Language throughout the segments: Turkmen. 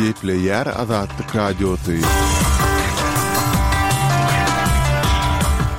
Gepleýär Azatlyk Radiosy.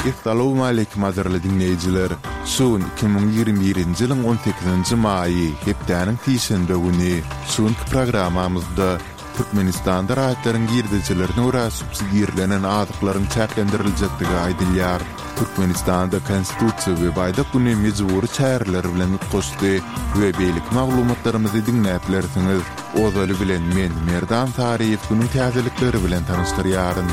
Essalawmaleýkim gadyrly diňleýjiler! Şu gün 2021-nji ýylyň on sekizinji maýy, hepdäniň sişenbe güni. Şu günki programmamyzda Türkmenistanda raýatlaryň girdejilerine görä subsidirlenen azyklaryň çäklendiriljekdigi aýdylýar. Türkmenistanda Konstitusiýa we Baýdak güni mejbury çäreler bilen utgaşdy we beýleki maglumatlarymyzy diňläp bilersiňiz. Ozaly bilen men, Merdan Saryýew günüň täzelikleri bilen tanyşdyrýaryn.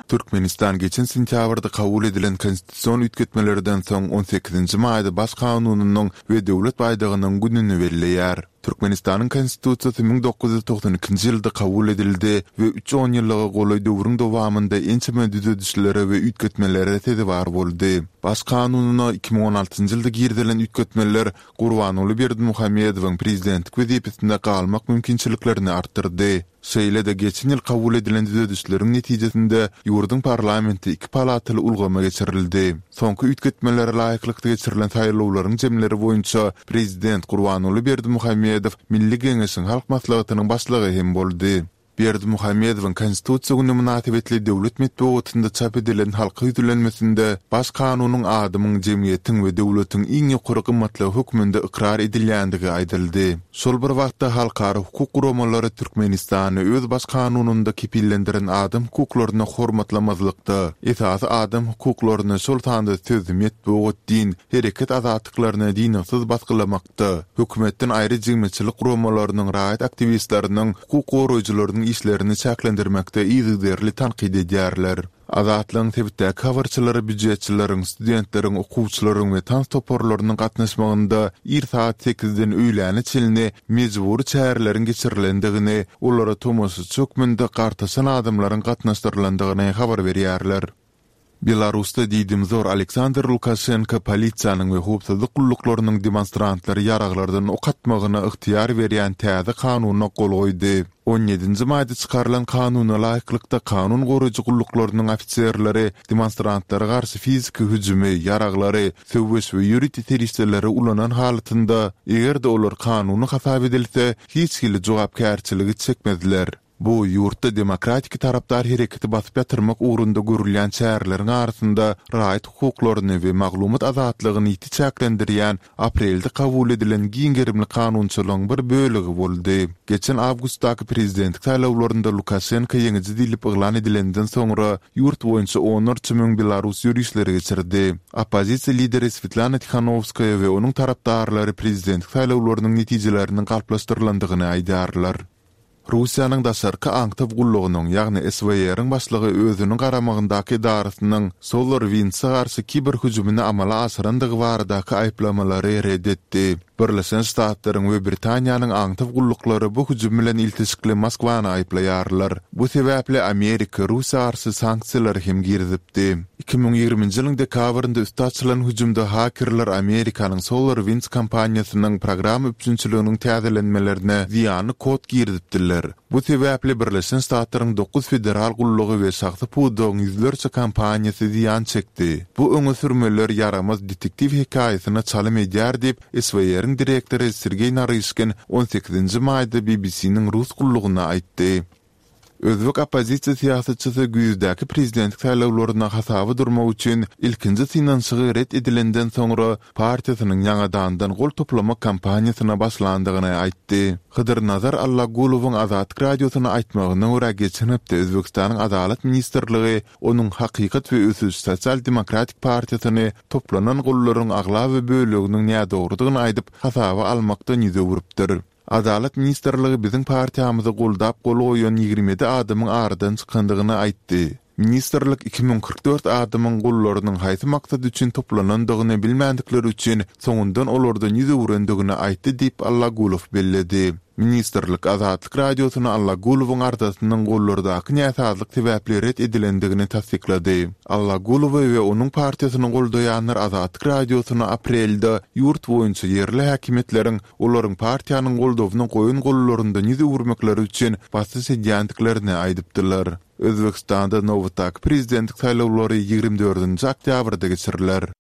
Türkmenistan geçen sentýabrda kabul edilen konstitusion üýtgetmelerden soň on sekizinji maýda Baş kanunynyň we Döwlet baýdagynyň gününi belleýär. Türkmenistanyň Konstitusiýasy 1992-nji ýylda kabul edildi we üç onýyllyga golaý döwrüň dowamynda ençeme düzedişlere we üýtgetmelere sezewar boldy. Baş kanunyna 2016-njy ýylda girizilen üýtgetmeler Gurbanguly Berdimuhamedowyň prezidentlik wezipesinde galmak mümkinçiliklerini artdyrdy. Şeýle-de geçen ýyl kabul edilen düzedişleriň netijesinde ýurduň parlamenti iki palataly ulgama geçirildi. Soňky üýtgetmelere laýyklykda geçirilen saýlawlaryň jemleri boýunça prezident Gurbanguly Berdimuhamedow Milli Geňeşiň Halk Maslahatynyň başlygy hem boldy. Berdimuhamedowyň Konstitusiýa güni mynasybetli döwlet metbugatynda çap edilen halka ýüzlenmesinde Baş kanunyň adamyň, jemgyýetiň we döwletiň iň ýokary gymmatlygy hökmünde ykrar edilýändigi aýdyldy. Şol bir wagtda halkara hukuk guramalary Türkmenistany öz Baş kanunynda kepillendiren adam hukuklaryny hormatlamazlykda, esasy adam hukuklaryny, şol sanda söz, metbugat, din, hereket azatlyklaryny dyngysyz basgylamakda, hökümetden aýry jemgyýetçilik guramalarynyň, raýat aktiwistleriniň, hukuk goraýjylarynyň işlerini çäklendirmekde yzygiderli tankyt edýärler. Azatlygyň sebitdäki habarçylary býujetçileriň, studentleriň, okuwçylaryň we tans toparlarynyň gatnaşmagynda ir sagat sekizden öýläne çenli mejbury çäreleriň geçirilendigini, olara tomaşaçy hökmünde gartaşan adamlaryň gatnaşdyrylandygyny habar berýärler. Belarusda diýdimzor Aleksandr Lukaşenko polisiýanyň we howpsuzlyk gulluklarynyň demonstrantlary ýaraglardan ok atmagyna ygtyýar berýän täze kanuna gol goýdy. On ýedinji maýda çykarylan kanuna laýyklykda, kanun goraýjy gulluklarynyň ofiserleri demonstrantlara garşy fiziki hüjümi, ýaraglary, söweş we ýörite serişdeleri ulanan halatynda, eger-de olar kanuny hasap edilse, hiç hili jogapkärçiligi çekmezler. Bu, ýurtda demokratiki tarapdar hereketi basyp ýatyrmak ugrunda görülýän çäreleriň arasynda raýat hukuklaryny we maglumat azatlygyny ýiti çäklendirýän aprelde kabul edilen giň gerimli kanunçylygyň bir bölegi boldy. Geçen awgustdaky prezidentlik saýlawlarynda Lukaşenko ýeňiji diýlip yglan edilenden soňra, ýurt boýunça onlarça müň belarus ýörişleri geçirdi. Oppozisiýa lideri Swetlana Tihanowskaýa we onuň tarapdarlary prezidentlik saýlawlarynyň netijeleriniň galplaşdyrylandygyny aýdýarlar. Russiýanyň daşarky aňtaw gullugynyň, ýagny SWR-iň başlygy özüniň garamagyndaky edarasynyň SolarWinds-e garşy kiber hüjümini amala aşyrandygy baradaky aýyplamalary ret etdi. Birleşen Ştatlaryň we Britaniýanyň aňtaw gulluklary bu hüjüm bilen ilteşikli Moskwany aýyplaýarlar. Bu sebäpli Amerika Russiýa garşy sanksiýalary hem girizipdi. 2020-nji ýylyň dekabrynda üsti açylan hüjümde hakerler Amerikanyň SolarWinds kompaniýasynyň programma üpjünçiliginiň täzelenmelerine zyýanly kod girizipdiler. Bu sebäpli Birleşen Ştatlaryň dokuz federal gullugy we şahsy pudagyň ýüzlerçe kompaniýasy zyýan çekdi. Bu öňe sürmeler ýaramaz detektiw hekaýasyna çalym edýär diýip, SWR-iň direktory Sergeý Naryşkin on sekizinji maýda BBC-niň rus gullugyna aýtdy. Özbek oppozisiýa syýasatçysy güýzdäki prezidentlik saýlawlarynda hasaba durmak üçin ilkinji synanyşygy ret edilenden soňra partiýasynyň ýaňadandan gol toplamak kampaniýasyna başlandygyny aýtdy. Hydyrnazar Allagulowyň Azatlyk Radiosyna aýtmagyna görä geçen hepde Özbegistanyň Adalat ministrligi onuň Hakykat we ösüş sosial-demokratik partiýasyny toplanan gollaryň aglaba böleginiň nädogrudygyny aýdyp hasaba almakdan ýüz öwrüpdir. Adalat ministrligi biziň partiýamyzy goldap gol goýan 27 adamyň aradan çykandygyny aýtdy. Ministrlik 2044 adamyň gollarynyň haýsy maksat üçin toplanandygyny bilmändikleri üçin soňundan olardan ýüz öwrendigini aýtdy diýip, Allagulow belledi. Ministrlik Azatlyk Radiosyna Allagulowyň arzasynyň gollardaky näsazlyk sebäpli ret edilendigini tassyklady. Allagulowy we onuň partiýasyny goldaýanlar Azatlyk Radiosyna aprelde ýurt boýunça ýerli häkimiýetleriň olaryň partiýanyň goldawyna goýan gollaryndan ýüz öwürmekleri üçin basyş edýändiklerini aýdypdylar. Özbegistanda nobatdaky prezidentlik saýlawlary 24-nji oktýabrda geçiriler.